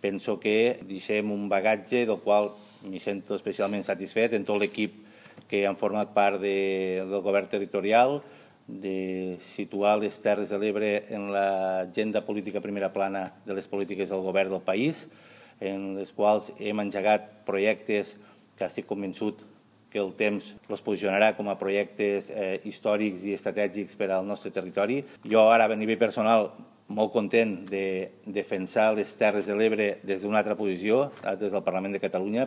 Penso que deixem un bagatge del qual m'hi sento especialment satisfet en tot l'equip que han format part del govern territorial, de situar les Terres de l'Ebre en l'agenda política primera plana de les polítiques del govern del país, en les quals hem engegat projectes que estic convençut que el temps els posicionarà com a projectes històrics i estratègics per al nostre territori. Jo ara, a nivell personal, molt content de defensar les Terres de l'Ebre des d'una altra posició, des del Parlament de Catalunya,